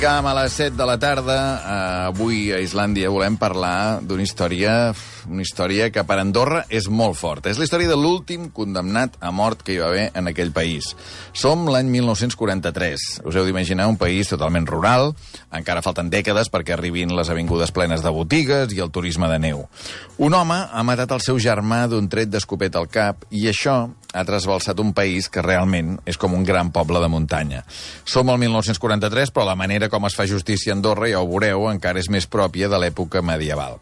explicàvem a les 7 de la tarda, avui a Islàndia volem parlar d'una història que per Andorra és molt forta. És la història de l'últim condemnat a mort que hi va haver en aquell país. Som l'any 1943. Us heu d'imaginar un país totalment rural, encara falten dècades perquè arribin les avingudes plenes de botigues i el turisme de neu. Un home ha matat el seu germà d'un tret d'escopet al cap i això ha trasbalsat un país que realment és com un gran poble de muntanya. Som al 1943, però la manera com es fa justícia a Andorra, ja ho veureu, encara és més pròpia de l'època medieval.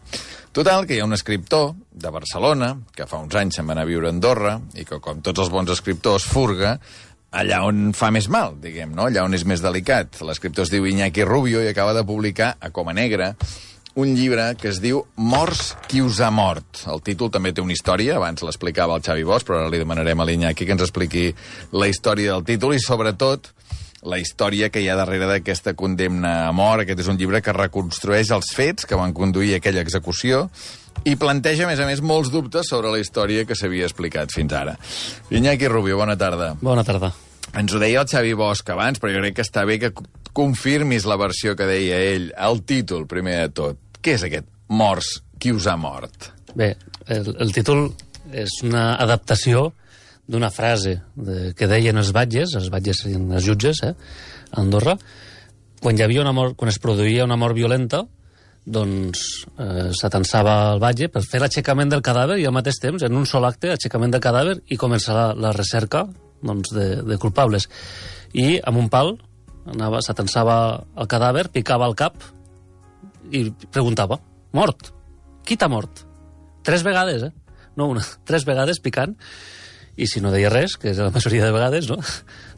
Total, que hi ha un escriptor de Barcelona, que fa uns anys se'n va anar a viure a Andorra, i que, com tots els bons escriptors, furga allà on fa més mal, diguem, no? Allà on és més delicat. L'escriptor es diu Iñaki Rubio i acaba de publicar, a Coma Negra, un llibre que es diu Morts qui us ha mort. El títol també té una història, abans l'explicava el Xavi Bosch, però ara li demanarem a l'Iñaki que ens expliqui la història del títol i, sobretot, la història que hi ha darrere d'aquesta condemna a mort. Aquest és un llibre que reconstrueix els fets que van conduir a aquella execució i planteja, a més, molts dubtes sobre la història que s'havia explicat fins ara. Iñaki Rubio, bona tarda. Bona tarda. Ens ho deia el Xavi Bosch abans, però jo crec que està bé que confirmis la versió que deia ell, el títol, primer de tot. Què és aquest Morts qui us ha mort? Bé, el títol és una adaptació d'una frase que deien els batges serien els jutges, a Andorra, quan es produïa una mort violenta, doncs s'atensava el batge per fer l'aixecament del cadàver i al mateix temps, en un sol acte, aixecament del cadàver i començar la recerca de culpables. I amb un pal s'atensava el cadàver, picava el cap i preguntava, mort? Qui t'ha mort? 3 vegades, no una, 3 vegades picant, i si no deia res, que és la majoria de vegades, no?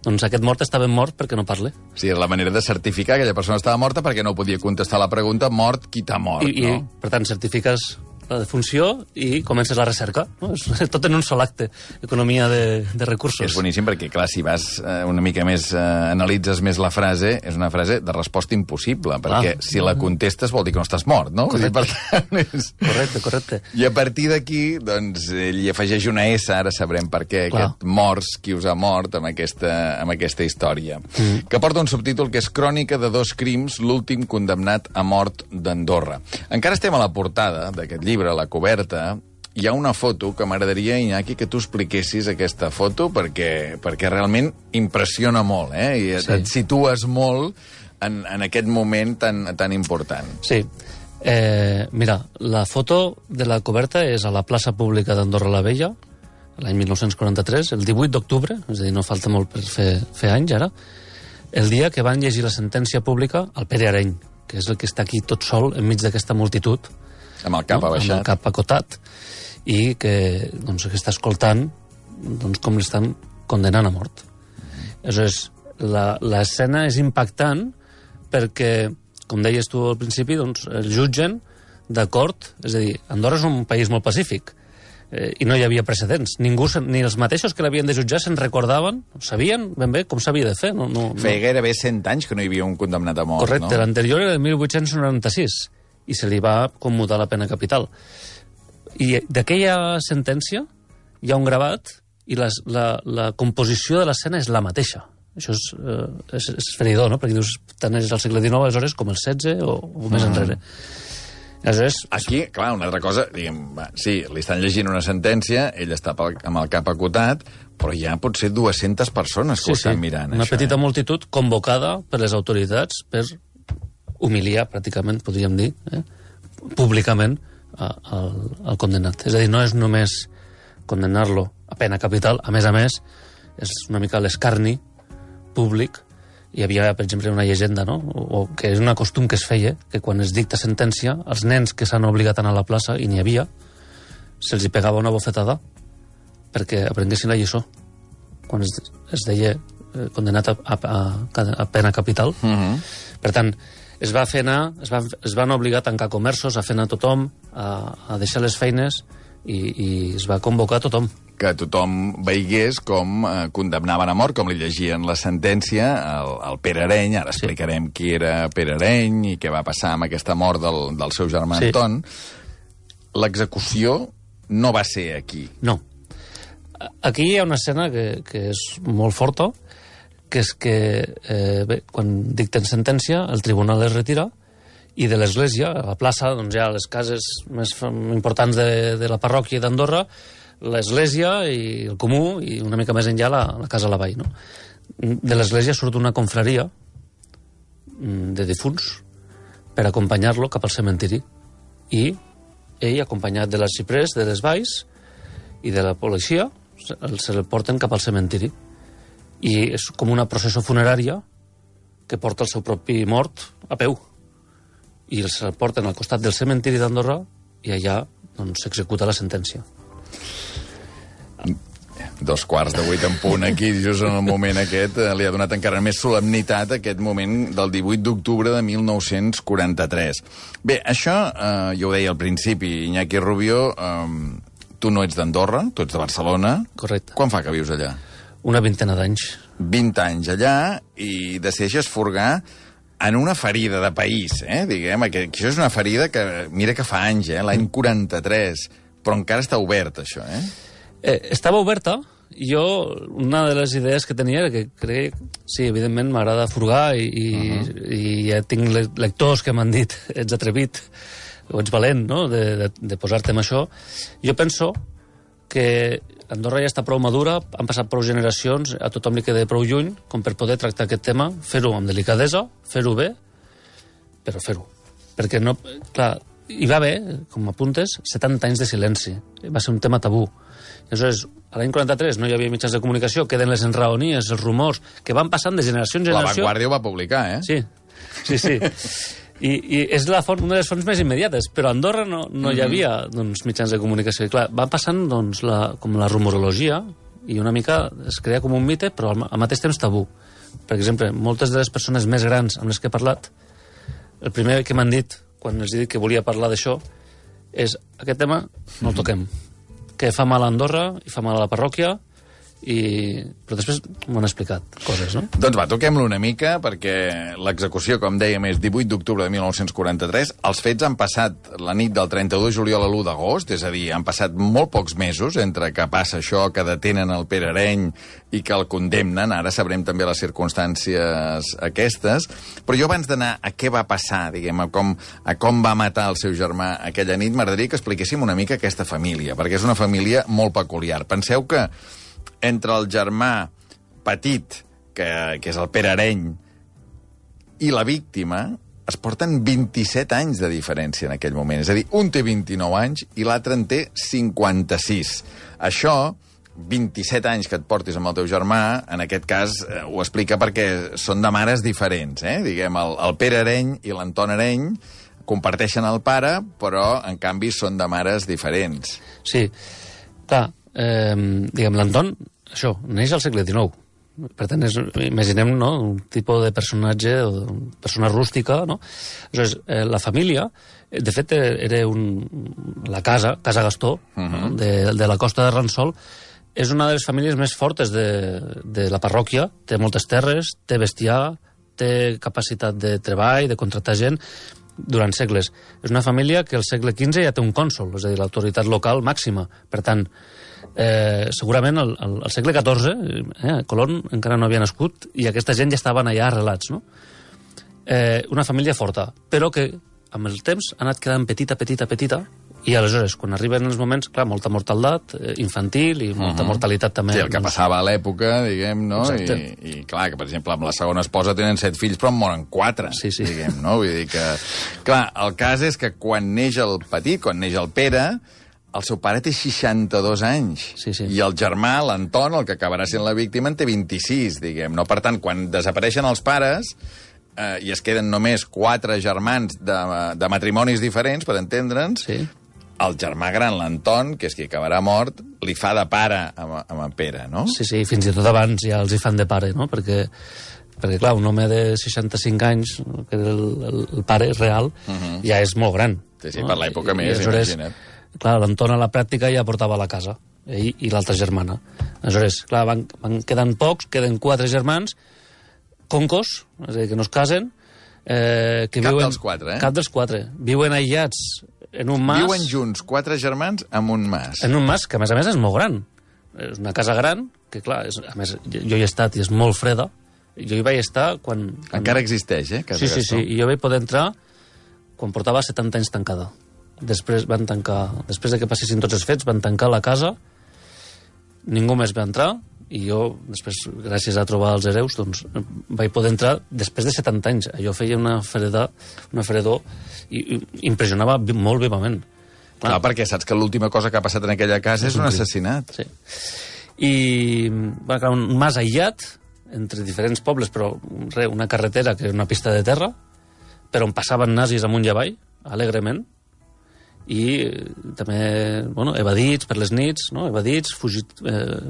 Doncs aquest mort està ben mort perquè no parle. Sí, és la manera de certificar que aquella persona estava morta perquè no podia contestar la pregunta mort, qui t'ha mort, no? I, per tant, certifiques la defunció i comences la recerca, no? És tot en un sol acte, economia de recursos. És boníssim perquè, clar, si vas una mica més, analitzes més la frase, és una frase de resposta impossible, perquè si la contestes vol dir que no estàs mort, no? Correcte. Per tant, és... Correcte. I a partir d'aquí, doncs, ell hi afegeix una S, ara sabrem per què, aquest Morts qui us ha mort amb aquesta història, que porta un subtítol que és Crònica de 2 crims, l'últim condemnat a mort d'Andorra. Encara estem a la portada d'aquest llibre, a la coberta, hi ha una foto que m'agradaria, Iñaki, que tu expliquessis aquesta foto, perquè realment impressiona molt, i et situes molt en aquest moment tan important. Sí. Mira, la foto de la coberta és a la plaça pública d'Andorra la Vella, l'any 1943, el 18 d'octubre, és a dir, no falta molt per fer anys ara, el dia que van llegir la sentència pública al Pere Areny, que és el que està aquí tot sol enmig d'aquesta multitud, amb el cap abaixat. Amb el cap acotat, i que està escoltant com l'estan condenant a mort. Aleshores, l'escena és impactant perquè, com deies tu al principi, el jutgen d'acord, és a dir, Andorra és un país molt pacífic, i no hi havia precedents. Ningú, ni els mateixos que l'havien de jutjar se'n recordaven, sabien ben bé com s'havia de fer. Feia gairebé 100 anys que no hi havia un condemnat a mort, correcte, no? L'anterior era de 1896, i se li va commutar la pena capital. I d'aquella sentència hi ha un gravat i la composició de l'escena és la mateixa. Això és feridor, no? Perquè dius, tant és al segle XIX, aleshores, com el XVI o més enrere. Aleshores... Aquí, clar, una altra cosa, diguem, sí, li estan llegint una sentència, ell està amb el cap acotat, però hi ha potser 200 persones que ho estan mirant. Una petita multitud convocada per les autoritats per humiliar, pràcticament, podríem dir, públicament al condenat. És a dir, no és només condenar-lo a pena capital, a més, és una mica l'escarni públic. Hi havia, per exemple, una llegenda, no? O que és un costum que es feia, que quan es dicta sentència, els nens que s'han obligat a anar a la plaça, i n'hi havia, se'ls hi pegava una bofetada perquè aprenguessin la lliçó. Quan es deia condenat a pena capital. Per tant, es van obligar a tancar comerços, a fer anar tothom, a deixar les feines, i es va convocar tothom. Que tothom veigués com condemnaven a mort, com li llegien la sentència al Pere Areny. Ara explicarem qui era Pere Areny i què va passar amb aquesta mort del seu germà Anton. L'execució no va ser aquí. No. Aquí hi ha una escena que és molt forta, que és que, quan dicten sentència, el tribunal es retira i de l'església, a la plaça, doncs hi ha les cases més importants de la parròquia d'Andorra, l'església i el comú, i una mica més enllà la casa a la vall, no? De l'església surt una confraria de difunts per acompanyar-lo cap al cementiri. I ell, acompanyat de l'arxiprés, de les valls i de la policia, se'l porten cap al cementiri. I és com una processó funerària que porta el seu propi mort a peu. I se'l porten al costat del cementiri d'Andorra i allà doncs, s'executa la sentència. 7:45 en punt aquí, just en el moment aquest, li ha donat encara més solemnitat aquest moment del 18 d'octubre de 1943. Bé, això, jo ho deia al principi, Iñaki Rubio, tu no ets d'Andorra, tu ets de Barcelona. Correcte. Quan fa que vius allà? Una vintena d'anys. 20 anys allà i decideixes furgar en una ferida de país, diguem, que això és una ferida que, mira que fa anys, l'any 43, però encara està obert, això, Estava oberta. Jo, una de les idees que tenia era que crec, sí, evidentment m'agrada furgar i ja tinc lectors que m'han dit ets atrevit o ets valent, no?, de posar-te amb això. Jo penso que Andorra ja està prou madura, han passat prou generacions, a tothom li queda prou lluny com per poder tractar aquest tema, fer-ho amb delicadesa, fer-ho bé, però fer-ho. Perquè no... Clar, hi va haver, com apuntes, 70 anys de silenci. Va ser un tema tabú. I aleshores, a l'any 43 no hi havia mitjans de comunicació, queden les enraonies, els rumors, que van passant de generació en generació... La Vanguardia ho va publicar, Sí. I és una de les fonts més immediates, però a Andorra no hi havia doncs, mitjans de comunicació. I clar, va passant doncs, com la rumorologia i una mica es crea com un mite, però al mateix temps tabú. Per exemple, moltes de les persones més grans amb les que he parlat, el primer que m'han dit, quan els he dit que volia parlar d'això, és aquest tema no el toquem. Que fa mal a Andorra i fa mal a la parròquia, però després m'ho han explicat coses, no? Doncs va, toquem-lo una mica, perquè l'execució, com dèiem, és 18 d'octubre de 1943. Els fets han passat la nit del 31 de juliol a l'1 d'agost, és a dir, han passat molt pocs mesos entre que passa això, que detenen el Pere Areny i que el condemnen. Ara sabrem també les circumstàncies aquestes. Però jo, abans d'anar a què va passar, diguem, a com va matar el seu germà aquella nit, m'agradaria que expliquéssim una mica aquesta família, perquè és una família molt peculiar. Penseu que entre el germà petit, que és el Pere Areny, i la víctima, es porten 27 anys de diferència en aquell moment. És a dir, un té 29 anys i l'altre en té 56. Això, 27 anys que et portis amb el teu germà, en aquest cas ho explica perquè són de mares diferents. Diguem, el Pere Areny i l'Anton Areny comparteixen el pare, però, en canvi, són de mares diferents. Sí, clar, diguem, l'Anton, això, neix al segle XIX. Per tant, imaginem, no?, un tipus de personatge, persona rústica, no? Aleshores, la família, de fet, era la casa Gastó, no?, de la costa de Ransol, és una de les famílies més fortes de la parròquia, té moltes terres, té bestiar, té capacitat de treball, de contractar gent, durant segles. És una família que al segle XV ja té un cònsol, és a dir, l'autoritat local màxima. Per tant, segurament al segle XIV, Colón encara no havia nascut i aquesta gent ja estaven allà arrelats, no? Una família forta, però que amb el temps ha anat quedant petita, i aleshores, quan arriben els moments, clar, molta mortaldat infantil i molta mortalitat també. Sí, el que passava a l'època, diguem, no? I clar, que per exemple amb la segona esposa tenen 7 fills però en moren 4, diguem, no? Vull dir que... Clar, el cas és que quan neix el petit, quan neix el Pere, el seu pare té 62 anys. I el germà, l'Anton, el que acabarà sent la víctima, en té 26, diguem, no? Per tant, quan desapareixen els pares i es queden només 4 germans de matrimonis diferents, per entendre'ns, el germà gran, l'Anton, que és qui acabarà mort, li fa de pare amb en Pere, no? Sí, fins i tot abans ja els hi fan de pare, no? Perquè clar, un home de 65 anys, que era el pare real, ja és molt gran. Sí, per l'època més, imagina't. Clar, l'Anton a la pràctica ja portava la casa, ell i l'altra germana. Aleshores, clar, van quedant pocs, queden 4 germans, concos, és a dir, que no es casen. Cap dels 4, Cap dels 4. Viuen aïllats en un mas... Viuen junts 4 germans en un mas. En un mas que, a més, és molt gran. És una casa gran, que, clar, a més, jo hi he estat i és molt freda, Jo hi vaig estar quan... Encara existeix, Casa Sí, Gastó? i jo vaig poder entrar quan portava 70 anys tancada. Després de que passessin tots els fets, van tancar la casa, ningú més va entrar, i jo, després, gràcies a trobar els hereus, doncs, vaig poder entrar després de 70 anys. Allò feia una fredor i impressionava molt vivament. Clar, perquè saps que l'última cosa que ha passat en aquella casa és un assassinat. Sí. I, bueno, clar, un mas aïllat, entre diferents pobles, però una carretera que és una pista de terra, per on passaven nazis amunt i avall, alegrement, i també, bueno, evadits per les nits, no? Evadits, fugit,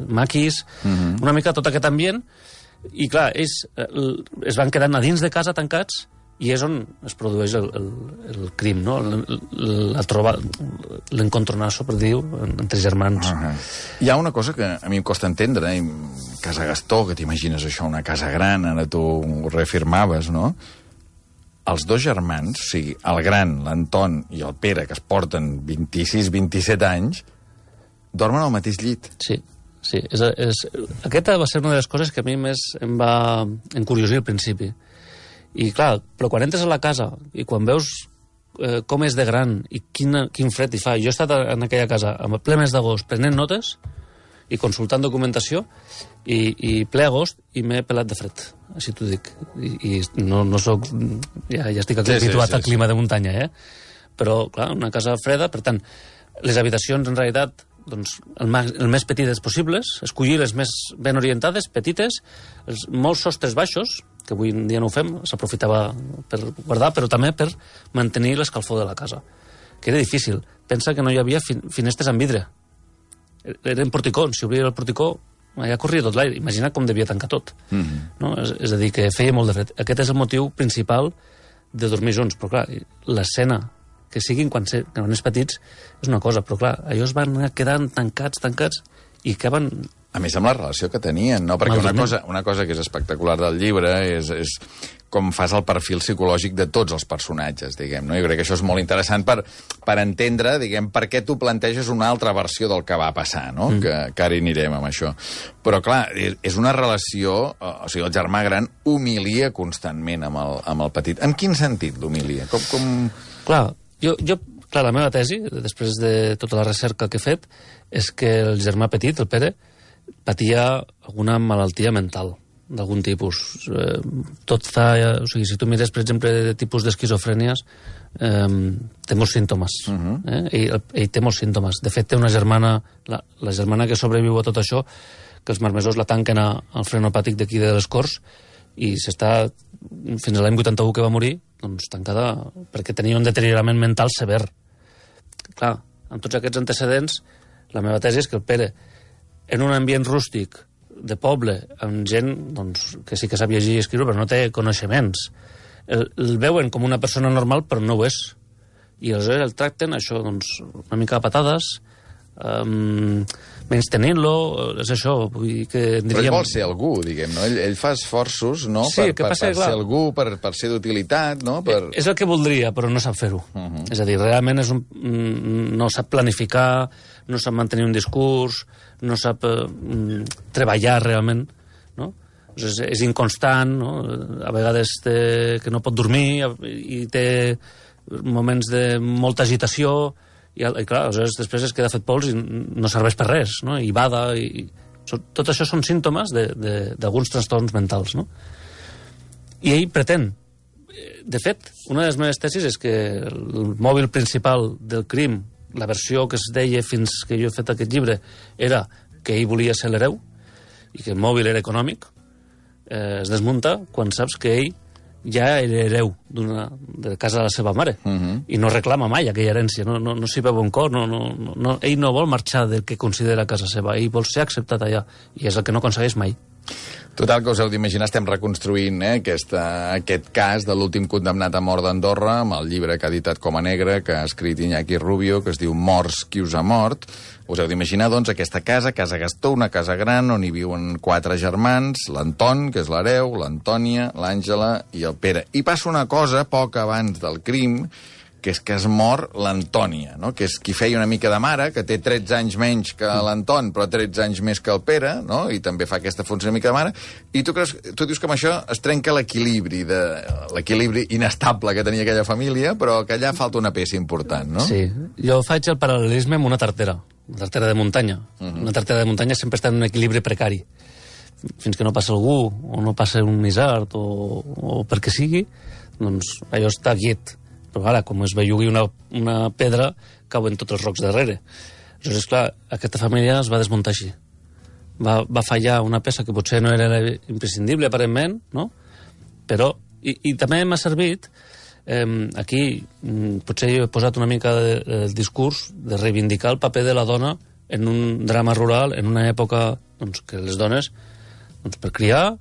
maquis, una mica tot aquest ambient, i clar, ells es van quedant a dins de casa tancats, i és on es produeix el crim, no? L'encontronasso, per dir-ho, entre germans. Hi ha una cosa que a mi em costa entendre, Casa Gastó, que t'imagines això, una casa gran, ara tu ho reafirmaves, no? Els dos germans, o sigui, el gran, l'Anton i el Pere, que es porten 26-27 anys, dormen al mateix llit. Sí. Aquesta va ser una de les coses que a mi més em va encuriosir al principi. I clar, però quan entres a la casa i quan veus com és de gran i quin fred hi fa... Jo he estat en aquella casa a ple mes d'agost prenent notes i consultant documentació i ple agost i m'he pelat de fred, així t'ho dic. I no soc... Ja estic habituat al clima de muntanya, Però, clar, una casa freda, per tant, les habitacions en realitat doncs, el més petites possibles, escollir les més ben orientades, petites, molts sostres baixos, que avui en dia no ho fem, s'aprofitava per guardar, però també per mantenir l'escalfor de la casa, que era difícil. Pensa que no hi havia finestres amb vidre. Eren porticons, si obria el porticó, allà corria tot l'aire. Imagina com devia tancar tot. No? És a dir, que feia molt de fred. Aquest és el motiu principal de dormir junts, però clar, l'escena que siguin quan és petits és una cosa, però clar, allò es van quedant tancats i acaben... A més, amb la relació que tenien, no? Perquè una cosa que és espectacular del llibre és com fas el perfil psicològic de tots els personatges, diguem, no? Jo crec que això és molt interessant per entendre, diguem, per què tu planteges una altra versió del que va passar, no? Que ara hi anirem amb això. Però, clar, és una relació... O sigui, el germà gran humilia constantment amb el petit. En quin sentit l'humilia? Clar, clar, la meva tesi, després de tota la recerca que he fet, és que el germà petit, el Pere, patia alguna malaltia mental d'algun tipus. O sigui, si tu mires, per exemple, de tipus d'esquizofrènies, té molts símptomes. Ell té molts símptomes. De fet, té una germana, la germana que sobreviu a tot això, que els marmesors la tanquen al frenopàtic d'aquí de les Corts, i s'està, fins a l'any 81 que va morir, doncs tancada perquè tenia un deteriorament mental sever. Clar, amb tots aquests antecedents, la meva tesi és que el Pere, en un ambient rústic, de poble, amb gent doncs, que sí que sap llegir i escriure, però no té coneixements, el veuen com una persona normal, però no ho és. I aleshores el tracten, això, doncs, una mica a patades, menys tenint-lo, és això, vull dir que... Però ell vol ser algú, diguem, no? Ell fa esforços, no?, sí, per ser algú, per ser d'utilitat, no? És el que voldria, però no sap fer-ho. És a dir, realment no sap planificar, no sap mantenir un discurs, no sap treballar realment, no? És inconstant, no? A vegades que no pot dormir i té moments de molta agitació, i clar, aleshores després es queda fet pols i no serveix per res, no? I bada, tot això són símptomes d'alguns trastorns mentals, no? I ell pretén. De fet, una de les meves tesis és que el mòbil principal del crim, la versió que es deia fins que jo he fet aquest llibre, era que ell volia ser l'hereu i que el mòbil era econòmic. Es desmunta quan saps que ell ja era hereu de casa de la seva mare i no reclama mai aquella herència, no s'hi veu un cor, ell no vol marxar del que considera casa seva, ell vol ser acceptat allà, i és el que no aconsegueix mai. Total, que us heu d'imaginar, estem reconstruint aquest cas de l'últim condemnat a mort d'Andorra, amb el llibre que ha editat Com a Negre, que ha escrit Iñaki Rubio, que es diu Morts, qui us ha mort. Us heu d'imaginar, doncs, aquesta casa, Casa Gastó, una casa gran on hi viuen 4 germans, l'Anton, que és l'hereu, l'Antònia, l'Àngela i el Pere. I passa una cosa, poc abans del crim, que és que es mor l'Antònia, no? Que és qui feia una mica de mare, que té 13 anys menys que l'Anton, però 13 anys més que el Pere, no? I també fa aquesta funció una mica de mare. I tu dius que amb això es trenca l'equilibri inestable que tenia aquella família, però que allà falta una peça important, no? Sí, jo faig el paral·lelisme amb una tartera de muntanya. Una tartera de muntanya sempre està en un equilibri precari. Fins que no passa algú, o no passa un isard, o perquè sigui, doncs allò està quiet. Però ara, com es bellugui una pedra, cauen tots els rocs darrere. Aleshores, clar, aquesta família es va desmuntar així. Va fallar una peça que potser no era imprescindible, aparentment, no? Però, i també m'ha servit, aquí potser he posat una mica el discurs de reivindicar el paper de la dona en un drama rural, en una època doncs, que les dones per criar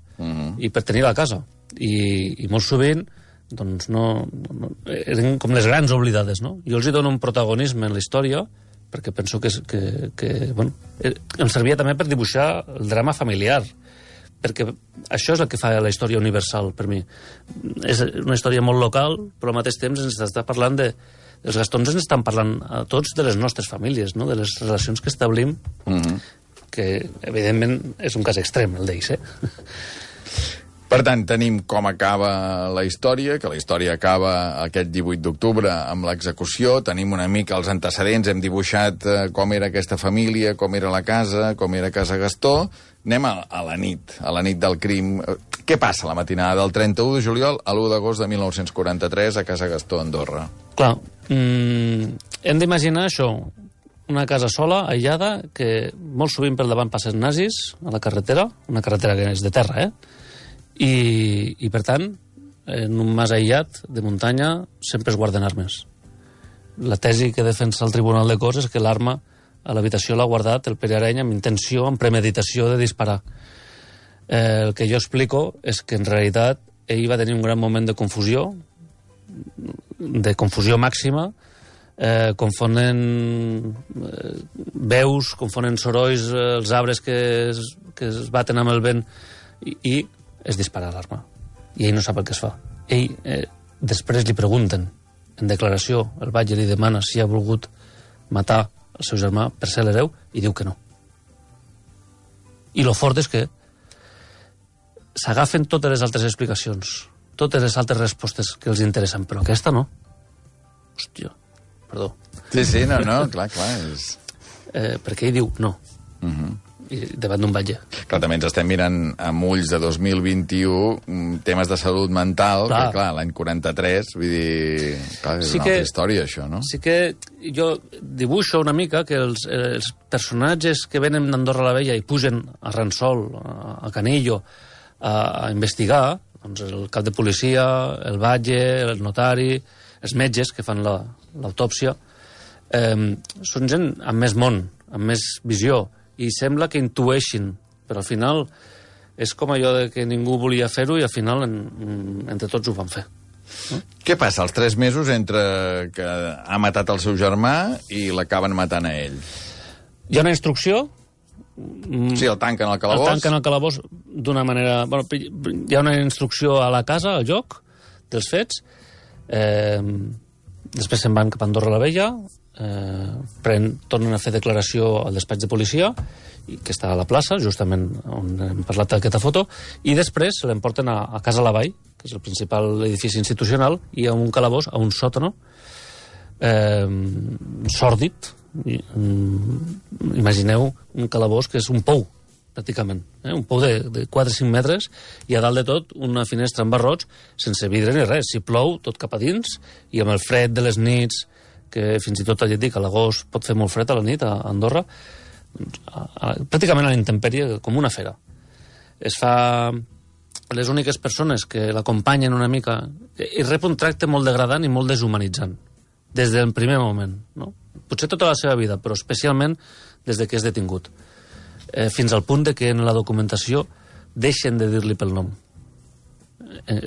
i per tenir la casa. I molt sovint doncs eren com les grans oblidades, no? Jo els hi dono un protagonisme en la història perquè penso que bueno, em servia també per dibuixar el drama familiar, perquè això és el que fa la història universal per mi. És una història molt local, però al mateix temps ens està parlant els Gastons ens estan parlant a tots de les nostres famílies, no? De les relacions que establim, que evidentment és un cas extrem, el d'ells, Per tant, tenim com acaba la història, que la història acaba aquest 18 d'octubre amb l'execució, tenim una mica els antecedents, hem dibuixat com era aquesta família, com era la casa, com era Casa Gastó. Anem a la nit del crim. Què passa la matinada del 31 de juliol a l'1 d'agost de 1943 a Casa Gastó, Andorra? Clar, hem d'imaginar això, una casa sola, aïllada, que molt sovint per davant passen nazis a la carretera, una carretera que és de terra, I per tant, en un mas aïllat de muntanya sempre es guarden armes. La tesi que defensa el Tribunal de Corts és que l'arma a l'habitació l'ha guardat el Pere Areny amb intenció, amb premeditació de disparar. El que jo explico és que en realitat ell va tenir un gran moment de confusió màxima, confonen veus, confonen sorolls, els arbres que es baten amb el vent i es dispara l'arma. I ell no sap el que es fa. Ell, després li pregunten, en declaració, el batlle li demana si ha volgut matar el seu germà per ser l'hereu, i diu que no. I lo fort és que s'agafen totes les altres explicacions, totes les altres respostes que els interessen, però aquesta no. Hòstia, perdó. Sí, no, clar. Perquè ell diu no. I davant d'un batlle. Clar, també ens estem mirant amb ulls de 2021 temes de salut mental, que clar, l'any 43, vull dir, clar, és una altra història, això, no? Sí que jo dibuixo una mica que els personatges que venen d'Andorra la Vella i pugen a Ransol, a Canillo, a investigar, doncs el cap de policia, el batlle, el notari, els metges que fan l'autòpsia, són gent amb més món, amb més visió, i sembla que intueixin, però al final és com allò de que ningú volia fer-ho i al final entre tots ho van fer. No? Què passa als 3 mesos entre que ha matat el seu germà i l'acaben matant a ell? Hi ha una instrucció. Sí, el tanquen al calabós. El tanquen al calabós d'una manera... Bueno, hi ha una instrucció a la casa, al lloc dels fets. Després se'n van cap a Andorra la Vella, tornen a fer declaració al despatx de policia, que està a la plaça, justament on hem parlat d'aquesta foto, i després se l'emporten a Casa Lavall, que és el principal edifici institucional, i a un calabós, a un sòtano, sòrdid. Imagineu un calabós que és un pou, pràcticament, un pou de 4-5 metres, i a dalt de tot una finestra amb barrots, sense vidre ni res. Si plou, tot cap a dins, i amb el fred de les nits, que fins i tot ja et dic, a l'agost pot fer molt fred a la nit a Andorra, pràcticament a la intempèrie, com una fera. Es fa... Les úniques persones que l'acompanyen una mica... I rep un tracte molt degradant i molt deshumanitzant, des del primer moment, no? Potser tota la seva vida, però especialment des de que és detingut. Fins al punt de que en la documentació deixen de dir-li pel nom.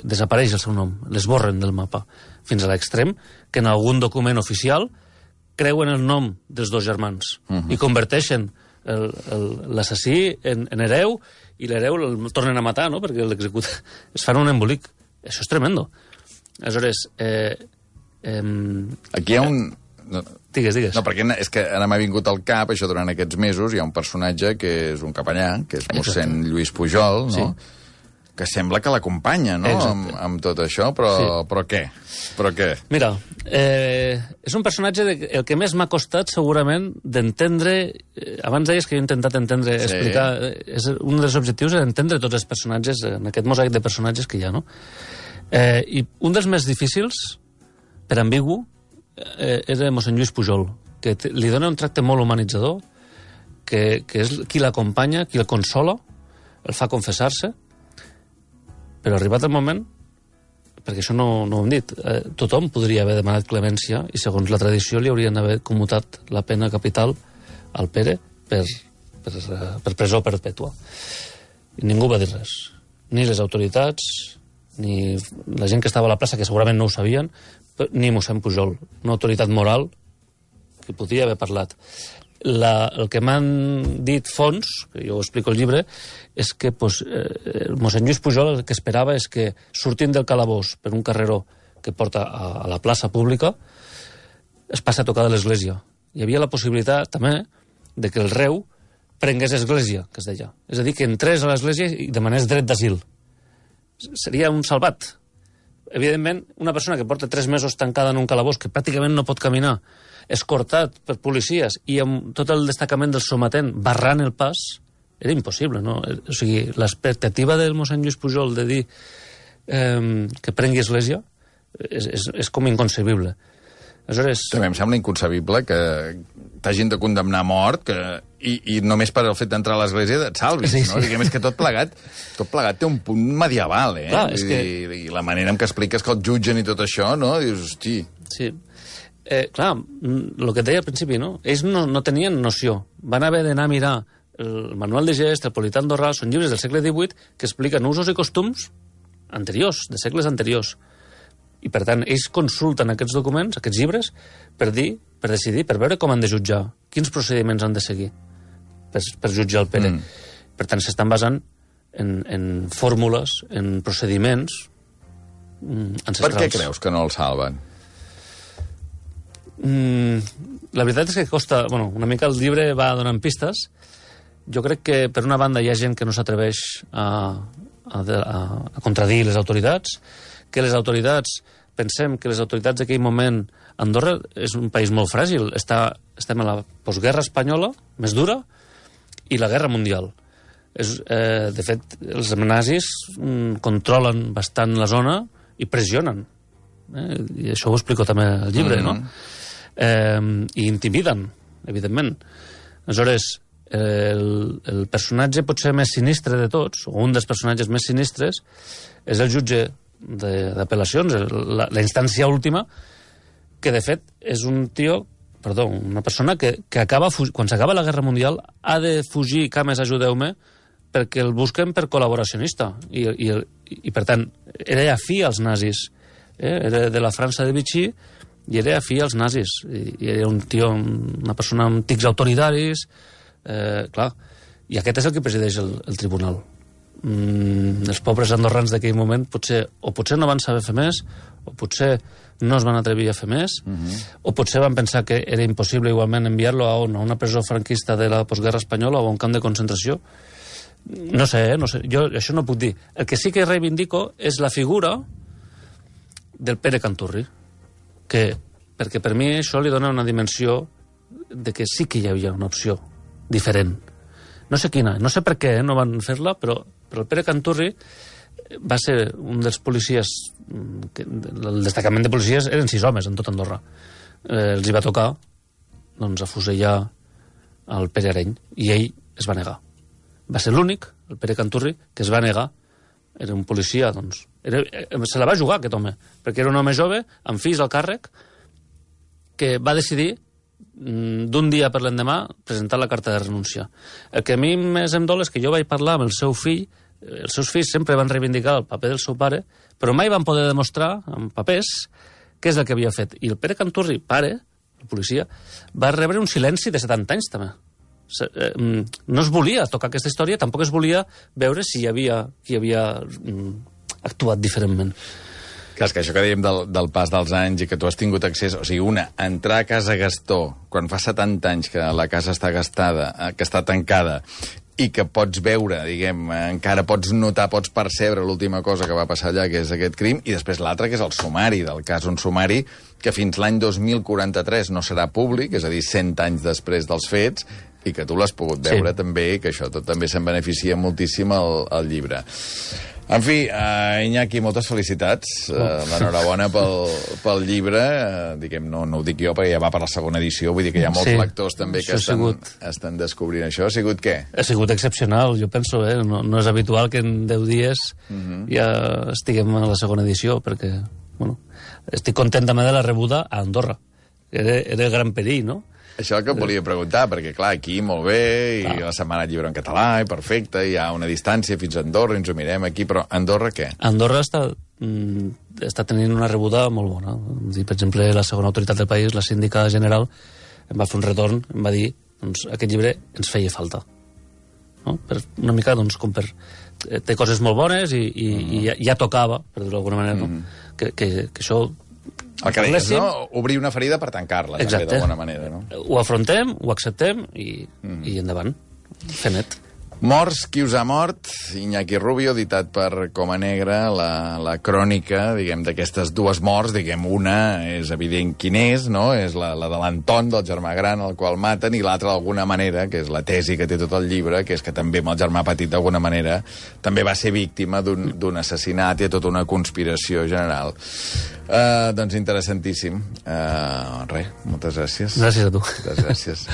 Desapareix el seu nom, l'esborren del mapa, fins a l'extrem que en algun document oficial creuen el nom dels dos germans i converteixen l'assassí en hereu, i l'hereu el tornen a matar, no?, perquè l'executa. Es fan un embolic. Això és tremendo. Aleshores, Aquí hi ha un... Digues. No, perquè és que ara m'ha vingut al cap, això durant aquests mesos, hi ha un personatge que és un capellà, que és mossèn Lluís Pujol, no? Sí. Que sembla que l'acompanya, no?, amb tot això, però què? Mira, és un personatge el que més m'ha costat, segurament, d'entendre... Abans deies que jo he intentat entendre, explicar... Un dels objectius és entendre tots els personatges, en aquest mosaic de personatges que hi ha, no? I un dels més difícils, per ambigu, era mossèn Lluís Pujol, que li dona un tracte molt humanitzador, que és qui l'acompanya, qui el consola, el fa confessar-se, però arribat el moment, perquè això no ho hem dit, tothom podria haver demanat clemència i segons la tradició li haurien d'haver commutat la pena capital al Pere per presó perpètua. I ningú va dir res. Ni les autoritats, ni la gent que estava a la plaça, que segurament no ho sabien, ni mossèn Pujol, una autoritat moral que podia haver parlat. El que m'han dit fons, que jo ho explico al llibre, és que mossèn Lluís Pujol el que esperava és que, sortint del calabós per un carreró que porta a la plaça pública, es passa a tocar de l'església. Hi havia la possibilitat, també, de que el reu prengués església, que es deia. És a dir, que entrés a l'església i demanés dret d'asil. Seria un salvat. Evidentment, una persona que porta 3 mesos tancada en un calabós, que pràcticament no pot caminar, escortat per policies i amb tot el destacament del sometent barrant el pas, era impossible, no? O sigui, l'expectativa del mossèn Lluís Pujol de dir que prengui església és com inconcebible. Aleshores... També em sembla inconcebible que t'hagin de condemnar a mort i només per el fet d'entrar a l'església et salvis, no? Diguem, és que tot plegat té un punt medieval, Clar, I la manera en què expliques que el jutgen i tot això, no? Dius, hosti... Sí. Clar, el que et deia al principi, no? Ells no tenien noció. Van haver d'anar a mirar el Manual de Gest, el Polità Andorrà, són llibres del segle XVIII que expliquen usos i costums anteriors, de segles anteriors. I, per tant, ells consulten aquests documents, aquests llibres, per decidir, per veure com han de jutjar, quins procediments han de seguir per jutjar el Pere. Per tant, s'estan basant en fórmules, en procediments ancestrals. Per què creus que no el salven? La veritat és que costa... Bueno, una mica el llibre va donant pistes. Jo crec que, per una banda, hi ha gent que no s'atreveix a contradir les autoritats, que les autoritats, pensem que les autoritats d'aquell moment... Andorra és un país molt fràgil. Estem a la postguerra espanyola, més dura, i la guerra mundial. De fet, els nazis controlen bastant la zona i pressionen. I això ho explico també al llibre, no? I intimiden, evidentment. Aleshores, el personatge potser més sinistre de tots, o un dels personatges més sinistres, és el jutge d'apel·lacions, la instància última, que de fet és una persona que acaba, quan s'acaba la Guerra Mundial, ha de fugir, cames, ajudeu-me, perquè el busquen per col·laboracionista. I per tant, era afí als nazis. Era de la França de Vichy i era afí als nazis. I era un tio, una persona amb tics autoritaris, clar. I aquest és el que presideix el tribunal. Els pobres andorrans d'aquell moment potser no van saber fer més, o potser no es van atrevir a fer més, o potser van pensar que era impossible igualment enviar-lo a una presó franquista de la postguerra espanyola o a un camp de concentració. No sé, jo això no puc dir. El que sí que reivindico és la figura del Pere Canturri, perquè per mi això li dona una dimensió de que sí que hi havia una opció diferent. No sé quina, no sé per què no van fer-la, però el Pere Canturri va ser un dels policies, el destacament de policies eren 6 homes en tot Andorra. Els hi va tocar afusellar el Pere Areny, i ell es va negar. Va ser l'únic, el Pere Canturri, que es va negar. Era un policia, se la va jugar aquest home, perquè era un home jove, amb fills al càrrec, que va decidir d'un dia per l'endemà presentar la carta de renúncia. El que a mi més em dol és que jo vaig parlar amb el seu fill, els seus fills sempre van reivindicar el paper del seu pare, però mai van poder demostrar amb papers què és el que havia fet. I el Pere Canturri, pare, el policia, va rebre un silenci de 70 anys també. No es volia tocar aquesta història, tampoc es volia veure si hi havia qui havia actuat diferentment. Clar, és que això que dèiem del pas dels anys i que tu has tingut accés... O sigui, entrar a Casa Gastó, quan fa 70 anys que la casa està gastada, que està tancada, i que pots veure, diguem, encara pots notar, pots percebre l'última cosa que va passar allà, que és aquest crim, i després l'altre, que és el sumari del cas, un sumari que fins l'any 2043 no serà públic, és a dir, 100 anys després dels fets, i que tu l'has pogut veure també, i que això tot també se'n beneficia moltíssim al llibre. En fi, Iñaki, moltes felicitats. L'enhorabona pel llibre. Diguem, no ho dic jo, perquè ja va per la segona edició. Vull dir que hi ha molts lectors també que estan descobrint això. Ha sigut què? Ha sigut excepcional, jo penso. No és habitual que en 10 dies ja estiguem a la segona edició, perquè estic content també de la rebuda a Andorra. Era el gran perill, no? Això el que et volia preguntar, perquè, clar, aquí molt bé, i la Setmana del Llibre en català, i perfecte, hi ha una distància fins a Andorra, ens ho mirem aquí, però Andorra què? Andorra està tenint una rebuda molt bona. Per exemple, la segona autoritat del país, la síndica general, em va fer un retorn, em va dir, doncs, aquest llibre ens feia falta. No? Una mica, doncs, com per... Té coses molt bones i ja tocava, per dir-ho d'alguna manera, que això... El que deies, no? Obrir una ferida per tancar-la, també, d'alguna manera, no? Ho afrontem, ho acceptem i endavant. Fer net. Morts, qui us ha mort? Iñaki Rubio, editat per Coma Negra, la crònica, diguem, d'aquestes dues morts, diguem, una és evident quin és, no? És la de l'Anton, del germà gran, el qual maten, i l'altra, d'alguna manera, que és la tesi que té tot el llibre, que és que també amb el germà petit, d'alguna manera, també va ser víctima d'un assassinat i tota una conspiració general. Doncs interessantíssim. Res, moltes gràcies. Gràcies a tu. Moltes gràcies.